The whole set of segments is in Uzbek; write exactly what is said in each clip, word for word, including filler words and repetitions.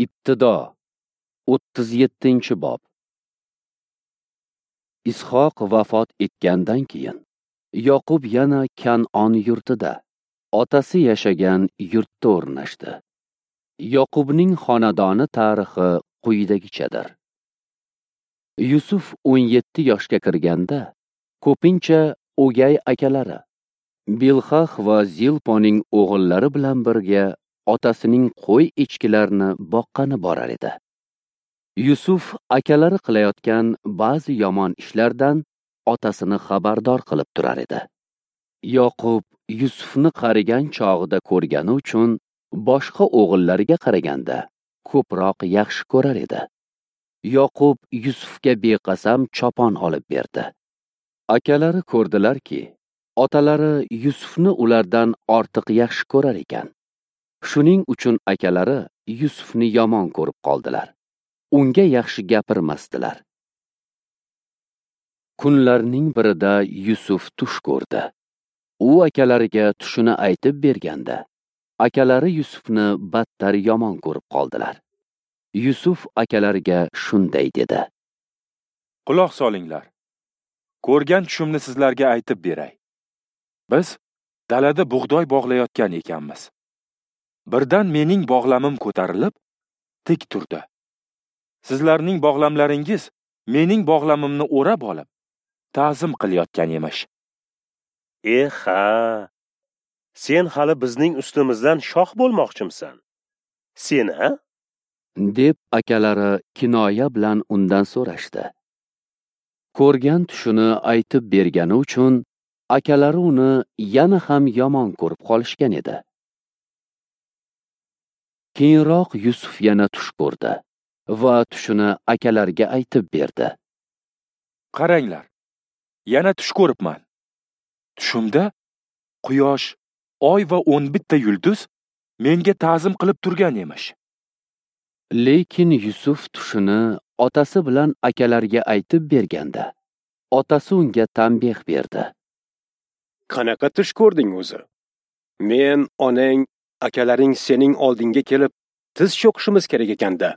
Ibtido o'ttiz yettinchi bob. Ishoq vafot etgandan keyin Yoqub yana Kan'on yurtida, otasi yashagan yurtda o'rnashdi. Yoqubning xonadoni tarixi quyidagichadir. Yusuf o'n yetti yoshga kirganda, ko'pincha o'gay akalari Bilhah va Zilponing o'g'illari bilan birga otasining qo'y echkilarini boqqani borar edi. Yusuf akalari qilayotgan ba'zi yomon ishlardan otasini xabardor qilib turar edi. Yoqub Yusufni qarigan chog'ida ko'rgani uchun boshqa o'g'illariga qaraganda ko'proq yaxshi ko'rar edi. Yoqub Yusufga beqasam chopon olib berdi. Akalari ko'rdilarki, otalari Yusufni ulardan ortiq yaxshi ko'rar ekan. Shuning uchun akalari Yusufni yomon ko'rib qoldilar. Unga yaxshi gapirmasdilar. Kunlarning birida Yusuf tush ko'rdi. U akalariga tushini aytib berganda, akalari Yusufni battar yomon ko'rib qoldilar. Yusuf akalariga shunday dedi: Quloq solinglar. Ko'rgan tushimni sizlarga aytib beray. Biz dalada bug'doy bog'layotgan ekanmiz. Birdan mening bog'lamim ko'tarilib, tik turdi. Sizlarning bog'lamlaringiz mening bog'lamimni o'rab olib, ta'zim qilayotgan emish. Eh ha, sen hali bizning ustimizdan shoh bo'lmoqchimsan? Sen ha? Deb akalari kinoya bilan undan so'rashdi. Ko'rgan tushini aytib bergani uchun akalari uni yana ham yomon ko'rib qolishgan edi. Keyinroq Yusuf yana tush ko'rdi va tushini akalariga aytib berdi. Qaranglar, yana tush ko'ribman. Tushimda quyosh, oy va o'n bitta yulduz menga ta'zim qilib turgan emish. Lekin Yusuf tushini otasi bilan akalariga aytib berganda, otasi unga tanbeh berdi. Qanaqa tush ko'rding o'zi? Men, onang, akalaring sening oldinga kelib tiz cho'kishimiz kerak ekanda.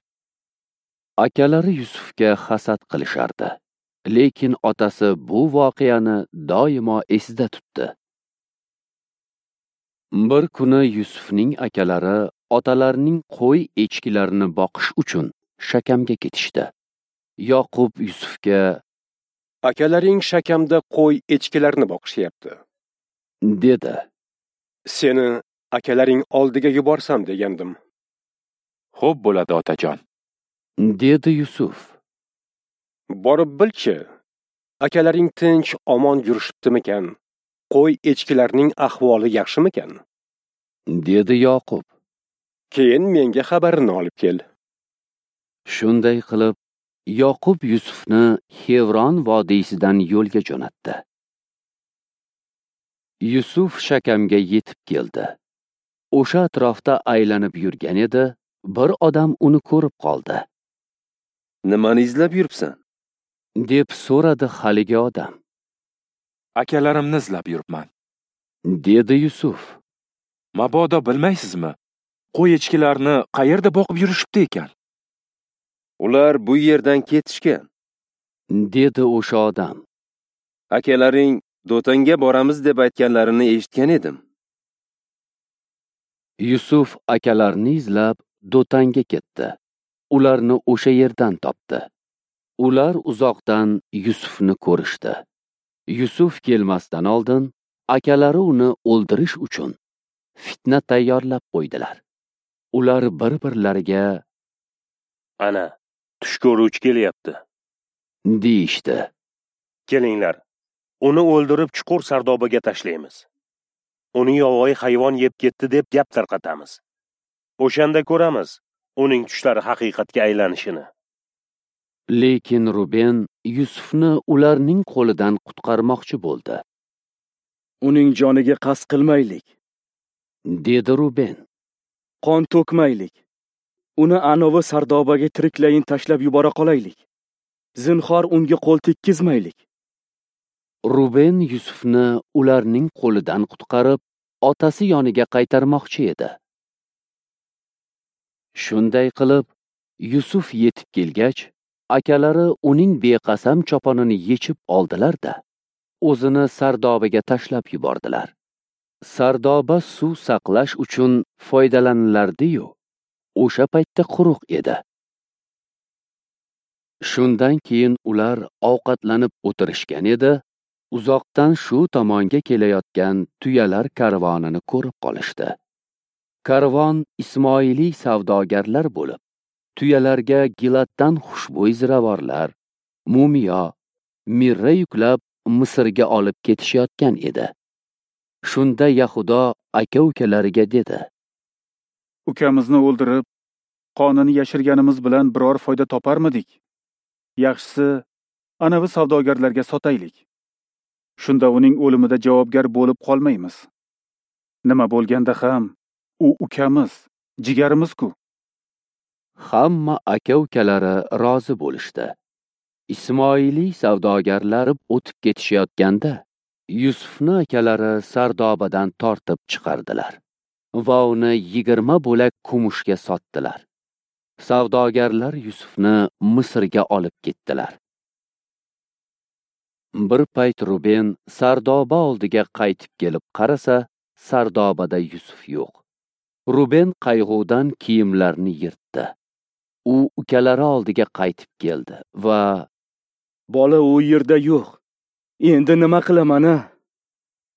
Akalari Yusufga hasad qilishardi. Lekin otasi bu voqeani doimo esida tutdi. Bir kuni Yusufning akalari otalarining qo'y echkilarini boqish uchun Shakamga ketishdi. Yoqub Yusufga: Akalaring Shakamda qo'y echkilarini boqishyapti, dedi. Seni akalaring oldiga yuborsam degandim. Xo'p bo'ladi, otajon, dedi Yusuf. Borib bilchi, akalaring tinch omon yurishibdimikan? Qo'y echkilarning ahvoli yaxshimikan? Dedi Yoqub. Keyin menga xabarini olib kel. Shunday qilib, Yoqub Yusufni Xevron vodiysidan yo'lga jo'natdi. Yusuf Shakamga yetib keldi. O'sha atrofda aylanib yurgan edi, bir odam uni ko'rib qoldi. Nimani izlab yuribsan? Deb so'radi haligi odam. Akalarimni izlab yuribman, dedi Yusuf. Mabodo bilmaysizmi, qo'y echkilarni qayerda boqib yurishibdi ekan? Ular bu yerdan ketishgan, dedi o'sha odam. Akalaring Do'tonga boramiz deb aytganlarini eshitgan edim. Yusuf akalarini izlab Do'tonga ketdi. Ularni o'sha yerdan topdi. Ular uzoqdan Yusufni ko'rishdi. Yusuf kelmasdan oldin akalari uni o'ldirish uchun fitna tayyorlab qo'ydilar. Ular bir-birlariga: Ana, tush ko'ruvchi kelyapti, deyishdi. Kelinglar, uni o'ldirib chuqur sardobaga tashlaymiz. Uni yovvoyi hayvon yeb ketdi deb gap tarqatamiz. O'shanda ko'ramiz uning tushlari haqiqatga aylanishini. Lekin Ruben Yusufni ularning qo'lidan qutqarmoqchi bo'ldi. Uning joniga qasd qilmaylik, dedi Ruben. Qon to'kmaylik. Uni anovi sardobaga tiriklayin tashlab yubora qolaylik. Zinhor unga qo'l tekkizmaylik. Ruben Yusufni ularning qo'lidan qutqarib, otasi yoniga qaytarmoqchi edi. Shunday qilib, Yusuf yetib kelgach, akalari uning beqasam choponini yechib oldilar-da, o'zini sardobaga tashlab yubordilar. Sardoba suv saqlash uchun foydalanilardi-yu, o'sha paytda quruq edi. Shundan keyin ular ovqatlanib o'tirishgan edi, uzoqdan shu tomonga kelayotgan tuyalar karvonini ko'rib qolishdi. Karvon Ismoiliy savdogarlar bo'lib, tuyalarga Gilatdan xushbo'y ziravorlar, mumiyo, mirra yuklab Misrga olib ketishayotgan edi. Shunda Yahudo aka-ukalariga dedi: Ukamizni o'ldirib, qonini yashirganimiz bilan biror foyda toparmidik? Yaxshisi, anavi savdogarlarga sotaylik. Shunda uning o'limida javobgar bo'lib qolmaymiz. Nima bo'lganda ham u ukamiz, jigarimiz-ku. Hamma aka-ukalari rozi bo'lishdi. Ismoiliy savdogarlari o'tib ketishayotganda Yusufni akalari sardobadan tortib chiqardilar va uni yigirma bo'lak kumushga sotdilar. Savdogarlar Yusufni Misrga olib ketdilar. Bir payt Ruben sardoba oldiga qaytib kelib qarasa, sardobada Yusuf yo'q. Ruben qayg'udan kiyimlarini yirtdi. U ukalari oldiga qaytib keldi va "Bola u yerda yo'q. Endi nima qilaman-a?"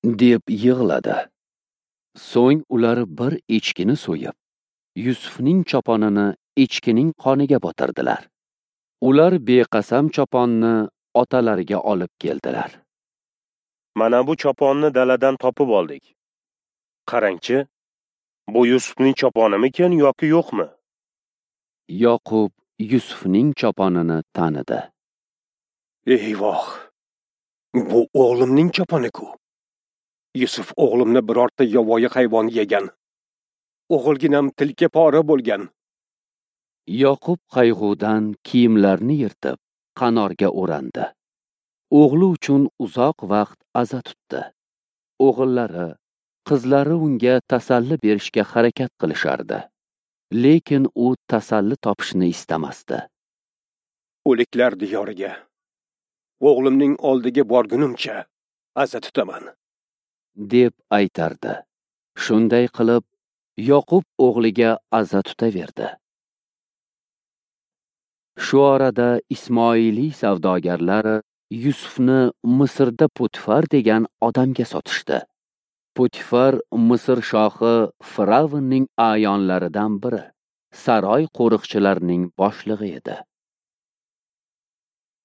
deb yig'ladi. So'ng ular bir echkini so'yib, Yusufning choponini echkining qoniga botirdilar. Ular beqasam choponni otalariga olib keldilar. Mana bu choponni daladan topib oldik. Qarangchi, bu Yusufning choponimikin yoki yo'qmi? Yoqub Yusufning choponini tanidi. Eyvoh! Bu o'g'limning choponi-ku. Yusuf o'g'limni birorta yovvoyi hayvon yegan. O'g'ilginam tilka pora bo'lgan. Yoqub qayg'udan kiyimlarini yirtib, qanorga o'randi. O'g'li uchun uzoq vaqt aza tutdi. O'g'illari, qizlari unga tasalli berishga harakat qilishardi. Lekin u tasalli topishni istamasdi. O'liklar diyoriga, o'g'limning oldiga borgunimcha aza tutaman, deb aytardi. Shunday qilib, Yoqub o'g'liga aza tutaverdi. Shu orada Ismoiliy savdogarlari Yusufni Misrda Potifar degan odamga sotishdi. Potifar Misr shohi Firavnning a'yonlaridan biri, saroy qo'riqchilarining boshlig'i edi.